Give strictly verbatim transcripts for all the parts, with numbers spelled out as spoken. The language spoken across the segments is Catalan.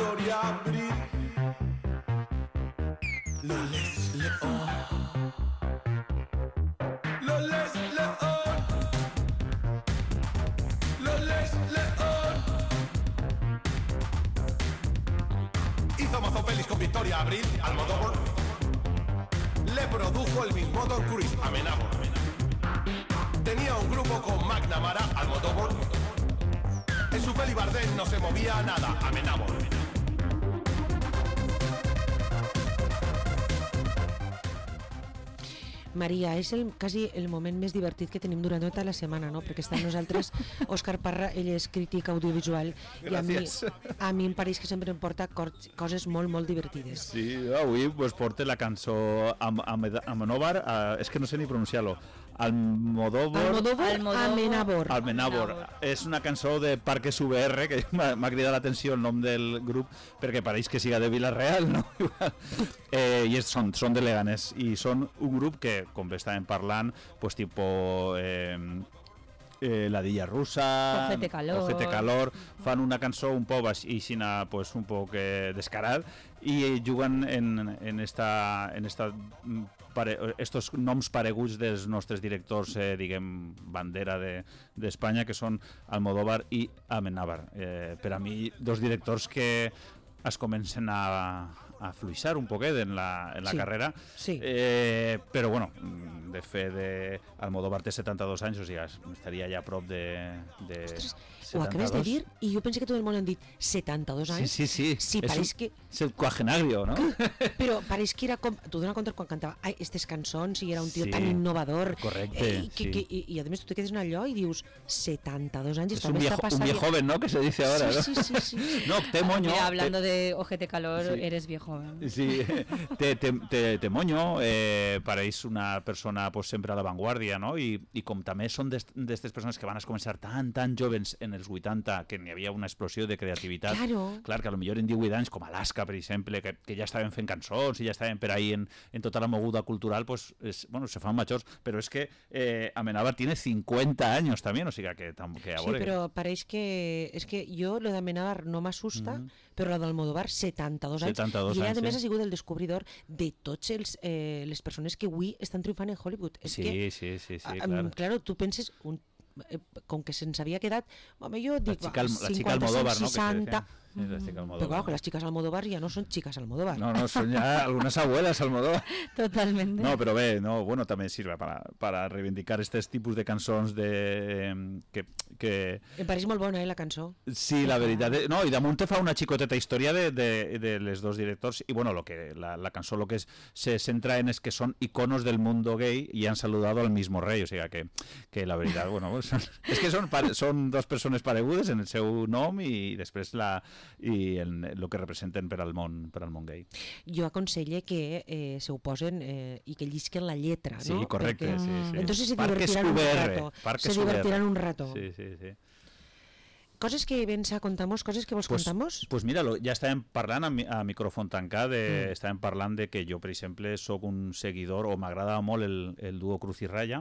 Victoria Abril, Loles León, Loles León, Loles León. Hizo mazo pelis con Victoria Abril, Almodóvar. Le produjo el mismo Tom Cruise, Amenábar. Tenía un grupo con McNamara, Almodóvar. En su peli Bardem no se movía nada, Amenábar. Maria, és el, quasi el moment més divertit que tenim durant tota la setmana, no? Perquè està amb nosaltres Òscar Parra, ell és crític audiovisual. Gràcies. I a mi, a mi em pareix que sempre em porta coses molt, molt divertides. Sí, avui pues, porta la cançó Am Amenábar, uh, és que no sé ni pronunciar-lo. Almodóvar, Almodóvar, Amenábar. Amenábar. És una cançó de Parques U V R, que m'ha cridat l'atenció el nom del grup, perquè pareix que siga de Vila-real, no? eh, I és, són, són de Leganés, i són un grup que, com bé estàvem parlant, pues tipo... Eh, Eh, la Dilla Russa, Ojete Calor. Ojete Calor, fan una cançó un poc així, pues, un poc eh, descarat, i juguen en, en, esta, en esta, pare, estos noms pareguts dels nostres directors, eh, diguem, bandera d'Espanya, de, que són Almodóvar i Amenábar. Eh, per a mi, dos directors que es comencen a, a fluixar un poquet en la, en la sí, carrera, sí. Eh, però bueno, de fet de Almodóvar té setanta-dos anys, o sigui, estaria ja a prop de, de Ostres, setanta-dos. ho acabes de dir i jo pensé que tot el món han dit setanta-dos anys. Sí, sí, sí, sí, és, pareix un, que... és el quagenario, no? Però pareix que era com... Tu dones compte quan cantava ai, estes cançons i era un tio sí, tan innovador. Correcte, eh, i, que, sí. que, i, i a més tu te quedes en allò i dius setanta-dos anys. És un viejo, un viejo joven, ¿no? Que se dice ahora, sí, ¿no? Sí, sí, sí. No, te moño. Mira, hablando te... de Ojete Calor, sí. eres viejo. ¿eh? Sí, te, te, te, te moño, eh, pareix una persona pues, sempre a l'avantguàrdia, no? I, i com també són d'aquestes persones que van a començar tan, tan jovens en els vuitanta, que n'hi havia una explosió de creativitat. Claro. Clar, que potser en divuit anys, com Alaska, per exemple, que, que ja estaven fent cançons i ja estaven per ahí en, en tota la moguda cultural, pues, es, bueno, se fan majors, però és que eh, Amenábar tiene cincuenta años també, o sigui que, que a sí, veure... però pareix que... És que jo, lo d'Amenábar no m'assusta, mm-hmm. però lo d'Almodóvar, setanta-dos anys. setanta-dos I ella, anys, a més, sí. ha sigut el descobridor de tots els, eh, les persones que avui estan triomfant en Hollywood. És sí, que, sí, sí, sí, a, clar. Claro, tu penses... Un, eh, com que se'ns havia quedat... Home, jo dic... La xica, va, la xica Almodóvar, no? seixanta... Sí, la xica Almodóvar. Però claro, que les xiques Almodóvar ja no són xiques Almodóvar. No, no, son ya algunas abuelas Almodóvar. Totalmente. No, pero ve, no, bueno, también sirve para, para reivindicar estos tipos de cançons de, eh, que, que... Em pareix molt bona, eh, la cançó. Sí, la veritat. Eh, no, i damunt te fa una xicoteta història de, de, de les dos directors, i bueno, lo que, la, la cançó lo que es, se centra en es que son iconos del mundo gay y han saludado al mismo rey, o sea que, que la veritat, bueno, pues, es que son, son dos persones paregudes en el seu nom i després la, i el, el que representen per al món, per al món gay. Jo aconselle que eh, se ho posen eh, i que llisquen la lletra, sí, no? Sí, correcte, Perquè, sí, sí. Entonces se Parques divertirán U V R, un rato. Parques Se divertirán un rato. Sí, sí, sí. Coses que vens a contamos, coses que vos pues, contamos? Pues mira, lo, ja estàvem parlant a, a micròfon tancat, de, mm. estàvem parlant de que jo, per exemple, sóc un seguidor, o m'agrada molt el, el duo Cruz i Raya.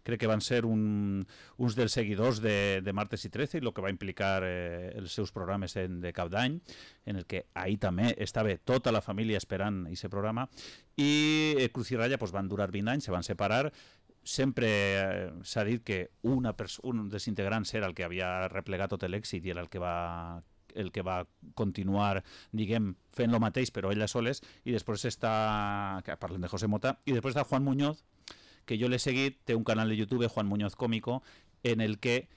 Crec que van ser un, uns dels seguidors de, de Martes i trece, i el que va implicar eh, els seus programes en, de cap d'any, en el que ahir també estava tota la família esperant aquest programa, i eh, Cruz i Raya pues, van durar vint anys, se van separar. Sempre eh, s'ha dit que una un dels integrants era el que havia replegat tot l'èxit i era el que va el que va continuar, diguem, fent lo mateix, però ella soles, i després està, que parlem de José Mota, i després està Juan Muñoz, que jo l'he seguit, té un canal de YouTube, Juan Muñoz Cómico, en el que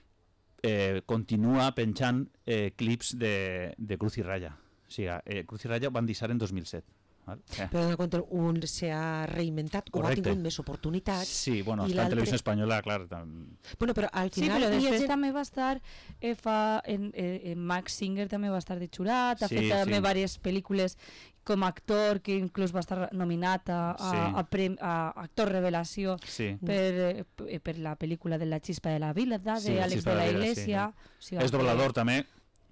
eh, continua penjant eh, clips de, de Cruz i Raya. O sigui, eh, Cruz i Raya van deixar en dos mil set. Eh. Però en compte, un s'ha reinventat, o ha tingut més oportunitats. Sí, bueno, està en Televisió Espanyola, clar. Tam... Bueno, però al final... Sí, però després gent... també va estar eh, fa, en, eh, en Max Singer també va estar de xurat, ha sí, fet també sí. diverses pel·lícules com a actor, que inclús va estar nominat a, a, sí. a, prem, a actor revelació sí. per, eh, per la pel·lícula de La Chispa de la Vida, de sí, Àlex de la, la Iglesia. Sí, sí. O sigui, és doblador també.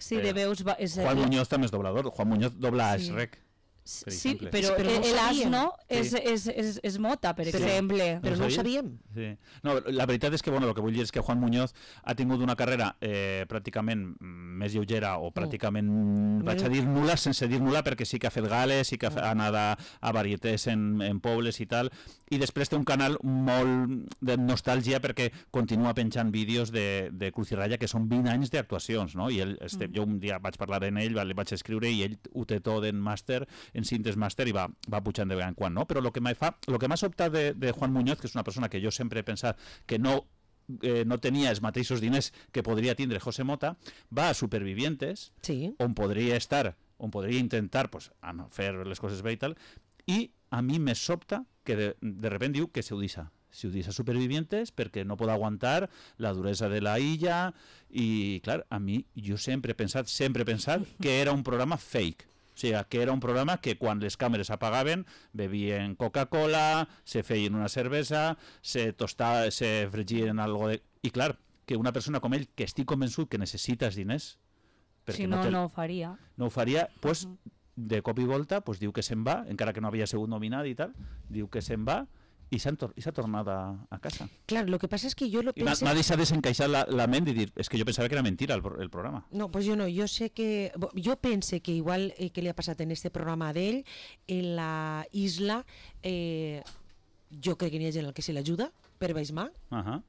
Sí, de veus... Va, és, Juan Muñoz també és doblador. Juan Muñoz dobla a sí. Shrek. per Sí, exemple. però, Però no ho el sabíem. asno és, Sí. és, és, és mota, per Sí. exemple. Però no ho sabies? sabíem. Sí. No, la veritat és que, bueno, el que vull dir és que Juan Muñoz ha tingut una carrera eh, pràcticament mm, més lleugera o pràcticament, mm. vaig a dir nul·la sense dir nul·la, perquè sí que ha fet gales, sí que ha, ha anat a, a varietés en, en pobles i tal, i després té un canal molt de nostàlgia perquè continua penjant vídeos de, de Cruz i Raya, que són vint anys d'actuacions, no? I ell, este, mm. jo un dia vaig parlar amb ell, li vaig escriure i ell ho té tot en màster, en cintes màster, i va, va pujant de vegades en quan, no? Però el que m'ha fa, lo que m'ha sobtat de, de Juan Muñoz, que és una persona que jo sempre he pensat que no eh, no tenia els mateixos diners que podria tindre José Mota, va a Supervivientes, Sí. on podria estar, on podria intentar pues, fer les coses bé i tal, i a mi me sobta que de, de repente diu que se ho deixa. Se ho deixa Supervivientes perquè no pot aguantar la duresa de la illa i, clar, a mi, jo sempre he pensat, sempre he pensat que era un programa fake. O sigui, que era un programa que quan les càmeres apagaven bevien Coca-Cola, se feien una cervesa, se tostaven, se fregien algo de... I clar, que una persona com ell, que estic convençut que necessita els diners, Si no, té- no ho faria. no ho faria, pues, de cop i volta pues, diu que se'n va, encara que no havia sigut nominat i tal, diu que se'n va i s'ha tor tornat a, a casa. Claro, lo que pasa es que yo lo I m'ha pensé... m'ha deixat desencaixar la, la ment i dir, és que jo pensava que era mentira el, pro- el programa. No, pues yo no, yo sé que, bo, yo pensé que igual eh, que le ha pasado en este programa d'ell, en la isla, eh, jo crec que n'hi ha gent al que se l'ajuda per baix mà, Uh -huh.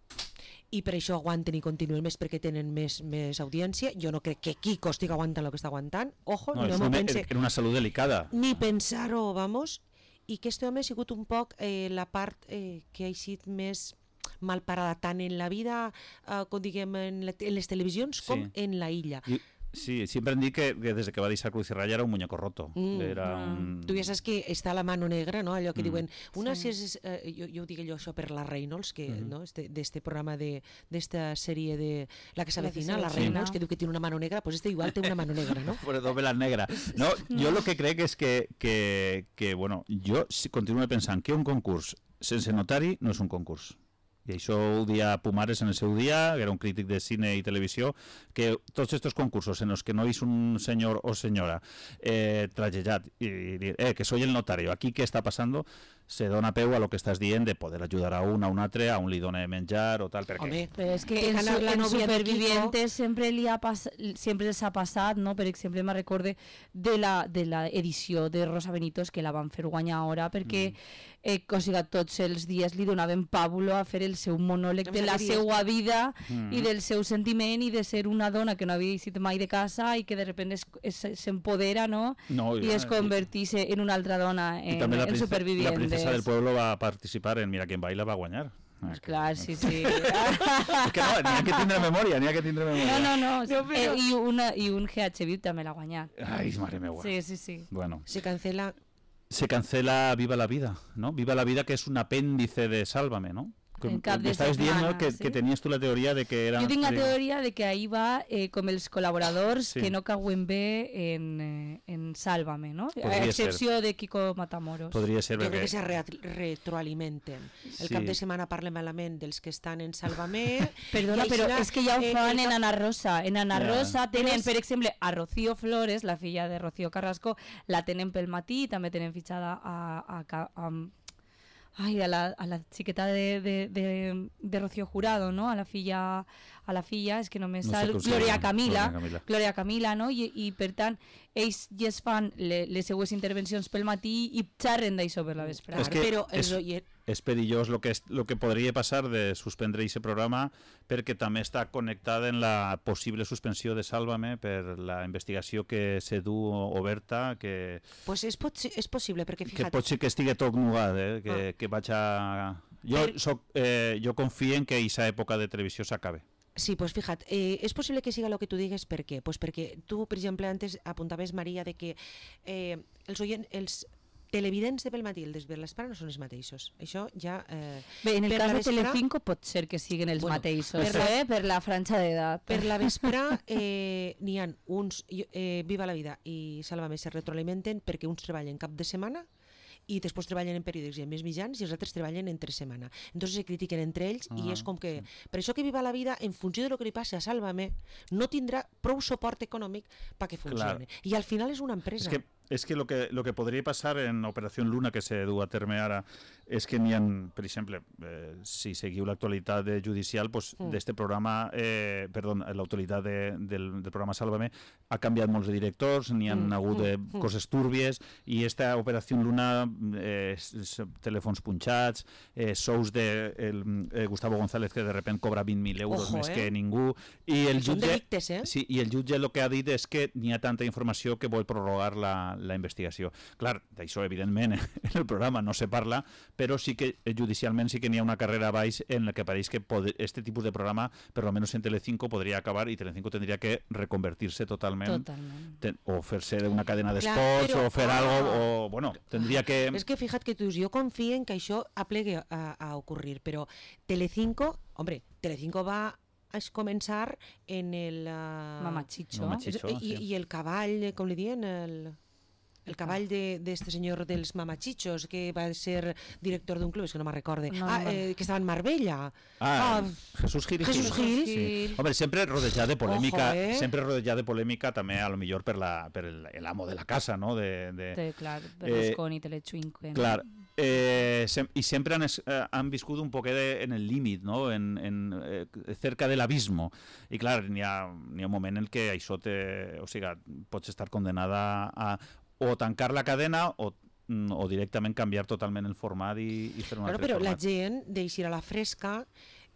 i per això aguanten i continuen més perquè tenen més, més audiència. Jo no crec que Kiko estigui aguantant el que està aguantant, ojo, No, no, és m'ho una, pense, era una salut delicada. ni pensar-ho, vamos, i que este home ha sigut un poc eh, la part eh, que ha sigut més mal parada tant en la vida, eh, com diguem, en, la, en les televisions com Sí. en la illa. I, sí, sempre hem dit que, que des que va deixar Cruz i Raya era un muñeco roto. Mm. Era un... Tu ja saps que està la mano negra, no? Allò que Mm. diuen, una Sí. si és, eh, jo, jo ho dic allò això per la Reynolds, que, Mhm. no? Este, d'este programa de, d'esta sèrie de La que La que s'avecina, la s'avecina. Reynolds, que diu que tiene una mano negra, pues este igual té una mano negra, no? Por dos velas negras. No, jo el que crec és que, que, que bueno, jo si continuo pensant que un concurs sense notari no és un concurs. I això ho dia Pumares en el seu dia, que era un crític de cine i televisió, que tots aquests concursos en els que no és un senyor o senyora eh, tragejat i dir, eh, que soy el notario, aquí què està passant, se dona peu a lo que estàs dient de poder ajudar a un, a un altre, a un li dona de menjar o tal, perquè... Home, Però és que Que en, ganar su, la en novia de Supervivientes sempre li ha pas, sempre els ha passat, no? Per exemple, me recorde de la, de la edició de Rosa Benítez, que la van fer guanyar ara, perquè mm. eh, o sigui, tots els dies li donaven pàbulo a fer el seu monòleg de la seva vida Mm. i del seu sentiment i de ser una dona que no havia eixit mai de casa i que de repente s'empodera, no? No, I es converteix en una altra dona I en, també la, en princesa, Supervivientes. la princesa del pueblo va participar en Mira quién baila, va guanyar. Ah, que- Clar, sí, sí. És que no, n'hi ha que tindre memòria, n'hi ha que tindre memòria. No, no, no. No, però- eh, i, una, I un G H V també l'ha guanyat. Ai, mare meva. Sí, sí, sí. Bueno, se cancela... se cancela Viva la Vida, ¿no? Viva la Vida, que es un apéndice de Sálvame, ¿no? Que, En cap que de estabas diciendo setmana, que, sí. que tenías tú la teoría de que era... Jo tinc la teoria de que ahí va eh, com els col·laboradors Sí. que no cauen bé en, eh, en Sálvame, no? Podria A excepció de Kiko Matamoros. Podria ser Jo crec perquè... que se re retroalimenten. El Sí. cap de setmana parla malament dels que estan en Sálvame. Perdona, i però així, és que ja ho eh, fan el en cap- Ana Rosa. En Ana Ja. Rosa tenen, Però és- per exemple, a Rocío Flores, la filla de Rocío Carrasco, la tenen pel matí, també tenen fitxada a, a, a, a Ai, a la, a la xiqueta de, de, de, de Rocío Jurado, no? A la filla, a la filla, és que només No sé sal com se Gloria diu, Camila, Gloria Camila. Gloria Camila, no? I, i per tant, ells ja es fan le, les seues intervencions pel matí i xerren d'això per la vesprada. És que però els és- oients... És perillós lo que, es, lo que podria passar de suspendre aquest programa perquè també està connectada en la possible suspensió de Sálvame per la investigació que se du oberta, que, Pues és, pot, ser- és possible, perquè que fíjate, pot ser que estigui tot nugat, eh? que, Ah. que vaig a... Jo, Per- soc, eh, jo confio en que aquesta època de televisió s'acabe. sí, pues fíjate, eh, és possible que siga el que tu digues, per què? Pues perquè tu, per exemple, antes apuntaves, Maria, de que eh, els, oient, els televidents de pel matí i els de l'espera no són els mateixos. Això ja... Eh, Bé, en el per cas la de vesprà- Telecinco pot ser que siguin els Bueno, mateixos, per la- eh? Per la franja d'edat. per la vesprà eh, n'hi ha uns, eh, Viva la Vida i Sálvame se retroalimenten perquè uns treballen cap de setmana i després treballen en periòdics i en més mitjans i els altres treballen entre setmana. Entonces se critiquen entre ells i Ah, és com que... Per això que Viva la Vida, en funció de lo que li passi a Sálvame, no tindrà prou suport econòmic perquè funcione. I al final és una empresa. És que és que el que, lo que podria passar en Operació Luna, que se du a terme ara, és que n'hi ha, per exemple, eh, si seguiu l'actualitat judicial, pues, mm. d'este programa, eh, perdó, l'actualitat de, del, del programa Sálvame, ha canviat molts de directors, n'hi ha mm. hagut de mm. coses túrbies, i esta Operació Luna, eh, telèfons punxats, eh, sous de el, eh, Gustavo González, que de repente cobra vint mil euros Ojo, més eh? que ningú, i el jutge, delictes, eh? sí, i el jutge el que ha dit és que n'hi ha tanta informació que vol prorrogar la la investigació. Clar, d'això evidentment en el programa no se parla, però sí que judicialment sí que n'hi ha una carrera a baix en la que pareix que este tipus de programa, per almenys en Telecinco, podria acabar i Telecinco tindria que reconvertir-se totalment, totalment. Ten, o fer-se una cadena d'esports o fer ah, algo, o bueno, tindria que... És que fíjate que tu, jo confio en que això aplegue a, a ocurrir, però Telecinco, hombre, Telecinco va a començar en el... Uh, Mamachicho. Mamachicho i, sí. I el cavall, com li diuen, el... El cavall de, de este senyor dels mamachichos, que va ser director d'un club, és que no me'n recorde. No, ah, eh, que estava en Marbella. Ah, ah Jesús Gil. Jesús Gil. Sí. Hombre, sempre rodejat de polèmica, Ojo, eh? sempre rodejat de polèmica també a lo millor per, la, per el, el amo de la casa, no? De, de, sí, clar, Berlusconi, eh, Telecinco. Clar, eh, sem i sempre han, es, eh, han viscut un poquet de, en el límit, no? En, en, eh, cerca de l'abismo. I clar, n'hi ha, n'hi ha un moment en què això te... O sigui, pots estar condenada a o tancar la cadena o, o directament canviar totalment el format i, i fer un claro, altre però format. la gent deixar a la fresca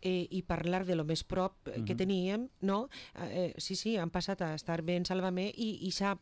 eh, i parlar de lo més prop eh, uh-huh. que teníem, no? Eh, sí, sí, han passat a estar bé en Sálvame i, i s'ha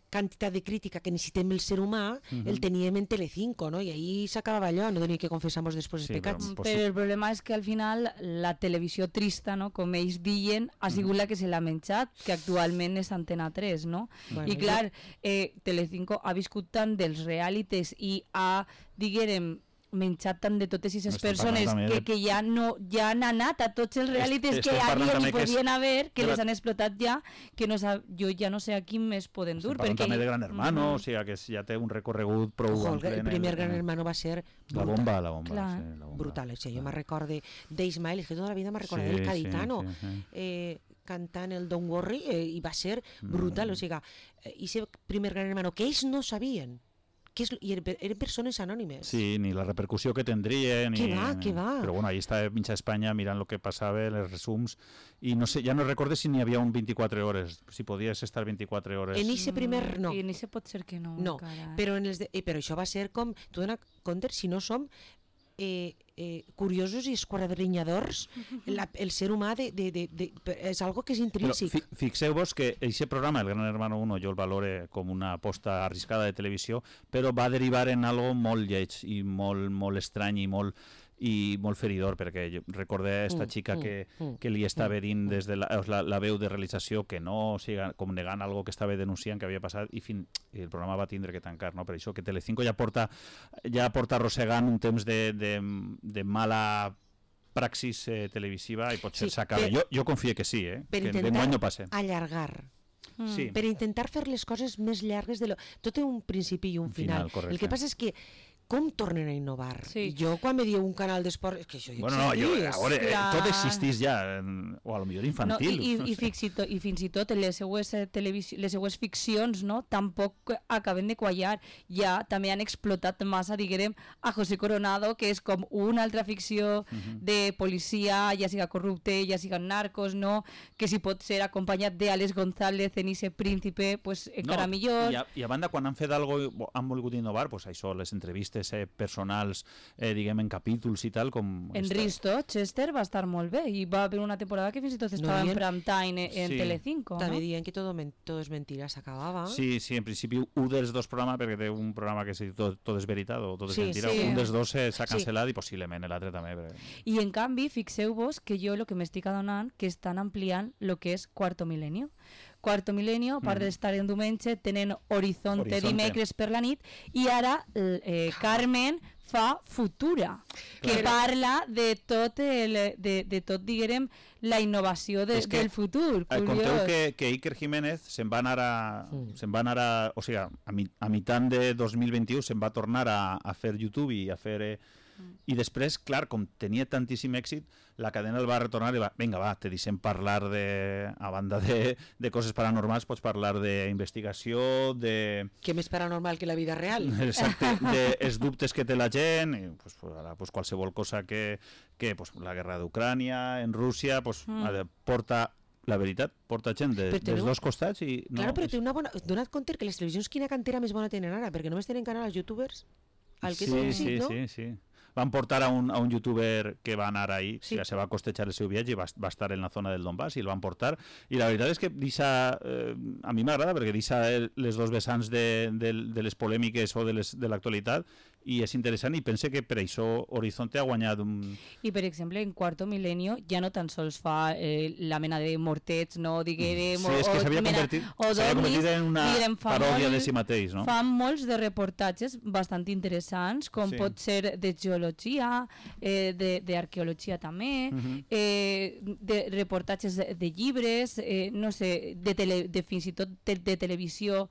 quantitat de crítica que necessitem el ser humà, uh-huh. el teníem en Telecinco, no? I ahí s'acabava allò, no tenia que confessamos després els sí, pecats. Però, però el problema és que al final la televisió trista, no? Com ells diuen, ha sigut uh-huh. la que se l'ha menjat, que actualment és Antena tres, no? Bueno, I clar, eh, Telecinco ha viscut tant dels realities i ha, diguérem, menjat tant de totes aquestes persones que, que ja, no, ja han anat a tots els realities que havien i podien haver, que les han explotat ja, que no sab... jo ja no sé a quin més poden dur. Perquè també de Gran Hermano, mm-hmm. o sigui que ja té un recorregut prou Ojo, el, el primer el, Gran Hermano va ser la bomba, la bomba, Clar, sí, la bomba. Brutal, o sigui, jo me'n recorde d'Ismael, és que tota la vida me'n recorde sí, del Caditano, sí, sí, sí. Eh, cantant el Don't Worry, eh, i va ser brutal, mm. o sigui, eh, i ese primer Gran Hermano, que ells no sabien, que és, i eren persones anònimes. Sí, ni la repercussió que tindrien. Què va, què va? Però bueno, ahí està mitja Espanya mirant el que passava, els resums, i no sé, ja no recordo si n'hi havia un vint-i-quatre hores, si podies estar vint-i-quatre hores. En ese primer, no. I en ese pot ser que no. No, però, en els de, eh, però això va ser com, tu dona compte, si no som eh, eh, curiosos i esquadrinyadors, la, el ser humà de, de, de, de, és algo que és intrínsec. Fi, fixeu-vos que aquest programa, el Gran Hermano uno, jo el valore com una aposta arriscada de televisió, però va derivar en algo molt lleig i molt, molt estrany i molt i molt feridor, perquè jo recordé esta xica que, que li estava dint des de la, la, la veu de realització que no, o sigui, com negant algo que estava denunciant que havia passat i, fin, i el programa va tindre que tancar, no? Per això que Telecinco ja porta ja porta arrossegant un temps de, de, de mala praxis eh, televisiva i potser sí, s'acaba. Jo, jo confio que sí, eh? Per que intentar no passe. allargar. Mm. Sí. Per intentar fer les coses més llargues de lo... Tot té un principi i un, un final. final el que passa és que com tornen a innovar? Sí. Jo quan me diu un canal d'esport... És que això ja bueno, no, jo, a veure, Clar. tot existís ja, o a lo millor infantil. No, i, i, i, fins i tot, I fins i tot les seues, televisió, les seues ficcions no, tampoc acaben de quallar. Ja també han explotat massa, diguem, a José Coronado, que és com una altra ficció uh-huh. de policia, ja siga corrupte, ja siga narcos, no? Que si pot ser acompanyat d'Àlex González en ese príncipe, pues encara no, millor. I a, I a banda, quan han fet algo, han volgut innovar, pues això, les entrevistes Eh, personals, eh, diguem, en capítols i tal, com... En Risto, Chester va estar molt bé i va haver una temporada que fins i tot estava no, en prime time en sí. Telecinco, també no? dient que tot, tot és mentira, s'acabava. Sí, sí, en principi un dels dos programes, perquè té un programa que és tot, tot és veritat o tot és sí, mentira, sí. un dels dos s'ha cancel·lat sí. i possiblement l'altre també. Perquè... I en canvi, fixeu-vos que jo el que m'estic adonant que estan ampliant el que és Quarto Milenio. Quarto Milenio, a part mm. d'estar en diumenge, tenen Horizonte, Horizonte dimecres per la nit, i ara eh, Carmen fa Futura, que Clar. parla de tot, el, de, de tot diguem, la innovació de, del futur. Eh, conteu que, que Iker Jiménez se'n va anar a... Mm. Se'n va anar a o sigui, a, mi, a mitjan de dos mil vint-i-u se'n va tornar a, a fer YouTube i a fer... Eh, I després, clar, com tenia tantíssim èxit, la cadena el va retornar i va, vinga, va, te deixem parlar de, a banda de, de coses paranormals, pots parlar d'investigació, de... Què més paranormal que la vida real? Exacte, dels dubtes que té la gent, i, pues, pues, ara, pues, qualsevol cosa que, que pues, la guerra d'Ucrània, en Rússia, pues, mm. porta... La veritat, porta gent de, dels dos costats i... No, claro, però té una bona... Dona't compte que les televisions quina cantera més bona tenen ara, perquè només tenen canal als youtubers. Al que sí, èxit, sí, no? sí, sí. Van portar a un, a un youtuber que va anar ahí, sí. Se va costejar el seu viatge i va, va estar en la zona del Donbass i el van portar. I la veritat és que deixa, eh, a mi m'agrada perquè deixa les dos vessants de, de, de les polèmiques o de, les, de l'actualitat i és interessant i pense que per això Horizonte ha guanyat un... I per exemple en Quarto Milenio ja no tan sols fa eh, la mena de mortets, no diguérem... Sí, és que s'havia convertit, convertit en una diguem, paròdia molt, de si mateix, no? Fan molts de reportatges bastant interessants, com sí. pot ser de geologia, eh, d'arqueologia també, uh -huh. eh, de reportatges de, de llibres, eh, no sé, de, tele, de fins i tot de, de televisió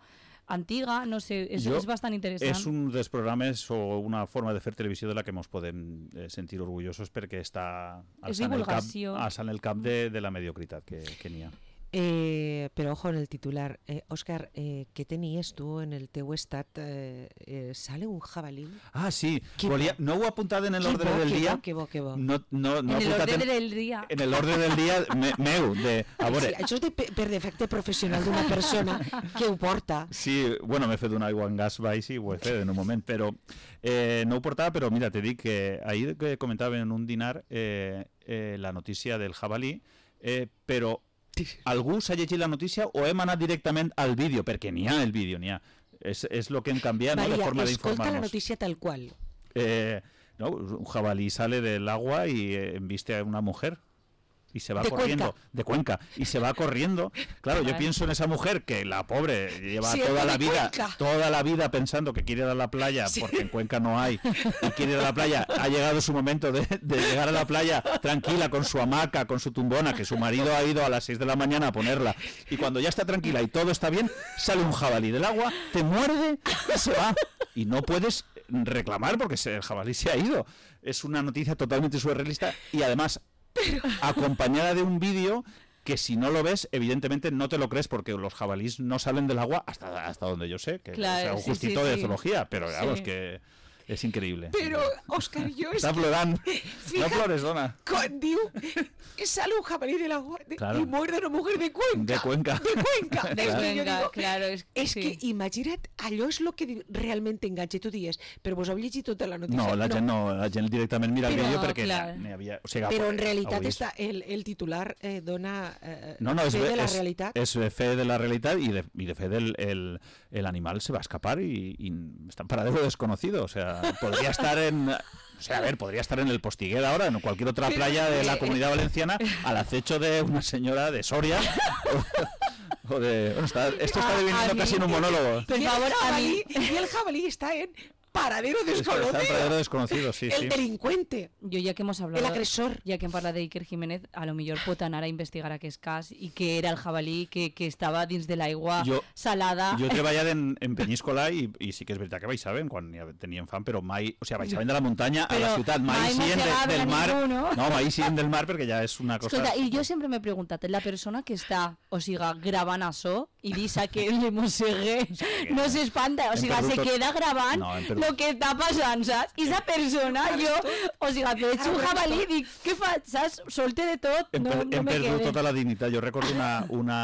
antiga, no sé, és, és bastant interessant. És un dels programes o una forma de fer televisió de la que ens podem eh, sentir orgullosos perquè està alçant el cap, alçant el cap de, de la mediocritat que, que n'hi ha. Eh, però ojo en el titular. Eh, Òscar, eh, què tenies tu en el teu estat? Eh, eh, ¿Sale un jabalí? Ah, sí. Volia, no ho he apuntat en l'ordre del bo, dia. Que bo, que bo. No, no, no en l'ordre del dia. En l'ordre del dia me, meu. De, a veure. Sí, això és de, per defecte professional d'una persona que ho porta. Sí, bueno, m'he fet un aigua en gas baix i ho he fet en un moment, però eh, no ho portava, però mira, te dic que ahir que comentava en un dinar eh, eh, la notícia del jabalí, eh, però algú s'ha llegit la notícia o hem anat directament al vídeo, perquè n'hi ha el vídeo, n'hi ha. És, és lo que hem canviat, Vaya, no? La forma d'informar-nos. Escolta la notícia tal qual. Eh, no, un jabalí sale del agua y eh, embiste a una mujer y se va de corriendo, Cuenca. de Cuenca, y se va corriendo. Claro, yo pienso en esa mujer que la pobre lleva sí, toda la vida, Cuenca. toda la vida pensando que quiere ir a la playa, sí. porque en Cuenca no hay, y quiere ir a la playa. Ha llegado su momento de, de llegar a la playa tranquila con su hamaca, con su tumbona, que su marido ha ido a las seis de la mañana a ponerla. Y cuando ya está tranquila y todo está bien, sale un jabalí del agua, te muerde y se va. Y no puedes reclamar porque el jabalí se ha ido. Es una noticia totalmente surrealista y además Pero... acompañada de un vídeo que si no lo ves, evidentemente no te lo crees porque los jabalíes no salen del agua hasta, hasta donde yo sé, que claro, sea un sí, justito sí, de sí. zoología, pero vamos sí. que és increïble. Però, Òscar, jo... Està plorant. No plores, dona. Quan diu sale un jabalí de l'agua claro. y muerde a una mujer de Cuenca. De Cuenca. De Cuenca. De es Cuenca, que digo, claro. És, és sí. que imagina't, allò és el que realment t'enganxa. Tu dius, però vos heu llegit tota la notícia? No, la gent no, la gent directament mira però, el vídeo perquè clar. n'hi havia... O sigui, però en realitat està, el, el titular eh, dona eh, no, no, fe és, de la és, realitat. És fe de la realitat i de, i de fe del el, el animal se va a escapar y, y está en paradero desconocido. O sea, podría estar en... O sea, a ver, podría estar en el Postiguet ahora, en cualquier otra playa de la Comunidad Valenciana, al acecho de una señora de Soria. O, o de, bueno, está, esto está deviniendo casi en un monólogo. Por favor, a mí. Y el jabalí está en paradero desconocido. Está en paradero desconocido, sí, el sí. delincuente. Yo ya que hemos hablado... El agresor. Ya que hem parlat de Iker Jiménez, a lo millor pot anar a investigar aquest cas i que era el jabalí que, que estava dins de l'aigua salada. Jo he treballat en, en Penyíscola i, i sí que és veritat que baixaven quan ja teníem fam, però mai... O sigui, baixaven de la muntanya a la ciutat, mai, mai siguin de, del mar... Ningú, no? no, mai siguin del mar perquè ja és una cosa... Escolta, i jo sempre m'he preguntat, la persona que està, o sigui, gravant això i deixa que el mossegue no s'espanta, o sigui, se queda gravant no, lo que està passant, saps? I esa persona, jo, o sigui, veig un jabalí i dic, què faig, saps? Solte de tot, no, no me quede. Hem perdut tota la dignitat. Jo recordo una, una,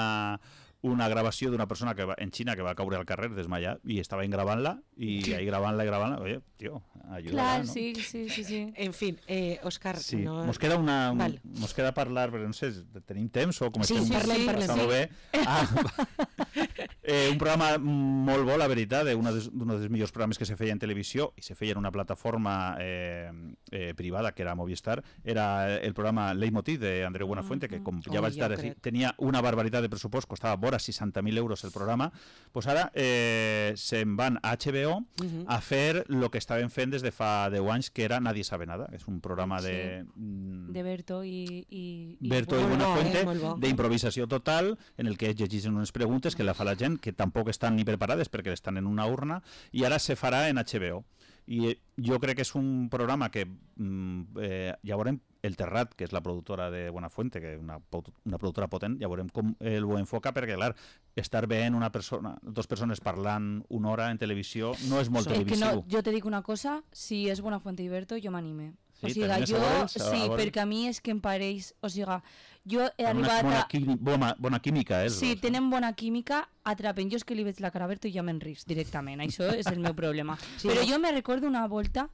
una gravació d'una persona que va, en Xina que va caure al carrer desmayat i estava gravant-la i ahí gravant-la i gravant-la, oye, tio, ajuda, clar, ¿no? sí, sí, sí, sí. En fin, eh, Òscar, sí. no... Mos queda una... Val. Mos queda parlar, però no sé, tenim temps o com sí, estem... Sí, parlem, parlem. Està molt bé. Ah, eh, un programa molt bo, la veritat, un dels millors programes que se feia en televisió i se feia en una plataforma eh, eh, privada que era Movistar, era el programa Leitmotiv d'Andreu Buenafuente, que com ja oh, vaig dir, ja tenia una barbaritat de pressupost, costava vora seixanta mil euros el programa, pues ara eh, se'n van a H B O uh-huh. a fer el que estaven fent des de fa deu anys, que era Nadie sabe nada. És un programa sí. de... de Berto i... i, i Berto i Buenafuente, eh, d'improvisació total, en el que ells llegeixen unes preguntes que la fa la gent presenten, que tampoc estan ni preparades perquè estan en una urna, i ara se farà en H B O. I jo crec que és un programa que eh, ja veurem el Terrat, que és la productora de Buenafuente, que és una, una productora potent, ja veurem com el ho enfoca, perquè clar, estar veient una persona, dos persones parlant una hora en televisió no és molt so, televisiu. Que no, jo te dic una cosa, si és Buenafuente i Berto, jo m'anime. Sí, o sigui, jo, veure, sí, perquè a mi és que em pareix, o sigui, jo he bona, arribat bona, a... quimi, bona, bona química, és. Sí, dos, tenen bona química, atrapen. Jo és que li veig la cara a Berto i ja me'n risc directament, això és el meu problema. Sí, però jo me recordo una volta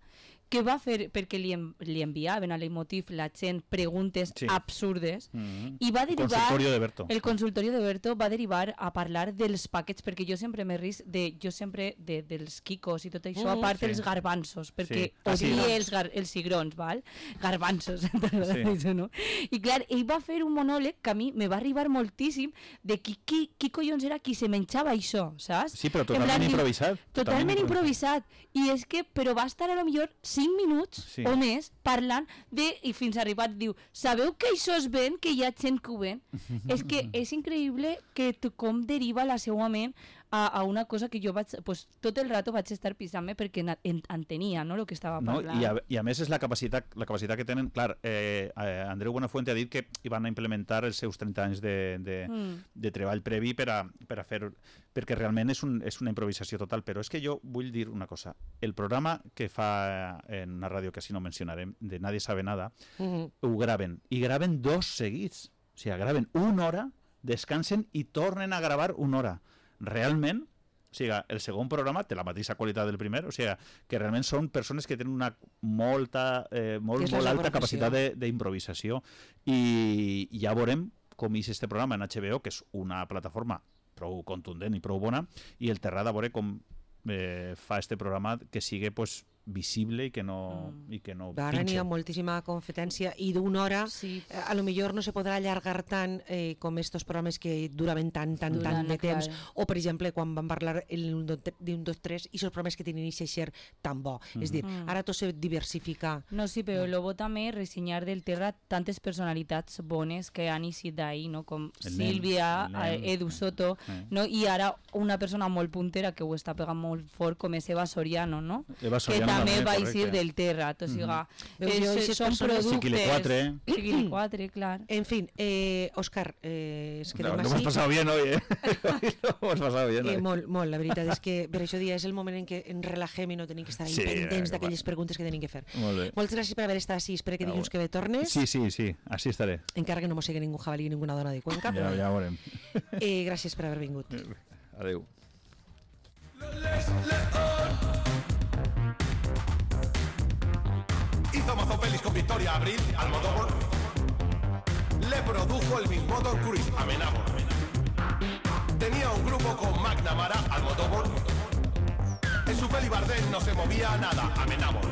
que va fer, perquè li, en, li enviaven a l'Emotiv la gent preguntes sí. absurdes, mm-hmm. i va derivar... El consultorio de Berto. El consultorio de Berto va derivar a parlar dels paquets, perquè jo sempre m'he risc de, jo sempre de, dels quicos i tot això, mm, a part sí. dels garbanzos, perquè sí. odia ah, sí. els, gar, els cigrons, val? Garbanzos, sí. això, no? I clar, ell va fer un monòleg que a mi me va arribar moltíssim de qui, qui, qui collons era qui se menjava això, saps? Sí, però totalment plan, improvisat. Totalment, totalment improvisat. improvisat. I és que, però va estar a lo millor cinc minuts sí. o més parlant de, i fins arribat diu, sabeu que això es ven, que hi ha gent que ho ven? És que és increïble que com deriva la seva ment a, a una cosa que jo vaig, pues, tot el rato vaig estar pisant-me perquè en, entenia, no?, el que estava parlant. No, i, a, I a més és la capacitat, la capacitat que tenen, clar, eh, Andreu Buenafuente ha dit que hi van a implementar els seus trenta anys de, de, mm. de treball previ per a, per a fer, perquè realment és, un, és una improvisació total, però és que jo vull dir una cosa, el programa que fa en una ràdio que així no mencionarem, de Nadie sabe nada, mm-hmm. ho graven, i graven dos seguits, o sigui, graven una hora, descansen i tornen a gravar una hora. Realment, o sigui, el segon programa té la mateixa qualitat del primer, o sigui, que realment són persones que tenen una molta, eh, molt, molt alta capacitat d'improvisació, i ja veurem com és este programa en H B O, que és una plataforma prou contundent i prou bona, i el Terrat a veure com eh, fa este programa que sigui pues, visible i que no, mm. i que no ara n'hi ha moltíssima competència i d'una hora sí. eh, a lo millor no se podrà allargar tant eh, com estos programes que duraven tant, tant, Durant, tant de temps clar. O per exemple quan van parlar d'un, dos, tres i els programes que tenen aquest ser tan bo, mm. és dir, mm. ara tot se diversifica. No, sí, però lo bo també ressenyar del Terrat tantes personalitats bones que han eixit d'ahir, no? Com el Sílvia, nen, el Edu Soto, eh. no? I ara una persona molt puntera que ho està pegant molt fort com és Eva Soriano, no? Eva Soriano també va eixir del Terrat, o sigui, mm-hmm. són productes... Chiquilicuatre. Chiquilicuatre, clar. En fin, eh, Òscar, eh, es quedem no, així. No hemos pasado bien hoy, eh? No hemos pasado bien. Eh, molt, molt, la veritat és que per això dia és el moment en què ens relaxem i no tenim que estar sí, pendents d'aquelles preguntes que tenim que fer. Molt bé. Moltes gràcies per haver estat així, espero que dilluns que ve tornes. Sí, sí, sí, així estaré. Encara que no mos sigui ningú jabalí ni ninguna dona de Cuenca. Ja, ja ho veurem. Eh, gràcies per haver vingut. Adéu. Hizo mazo pelis con Victoria Abril, Almodóvar. Le produjo el mismo Tom Cruise, Amenábar. Tenía un grupo con McNamara, Almodóvar. En su peli Bardem no se movía nada, Amenábar.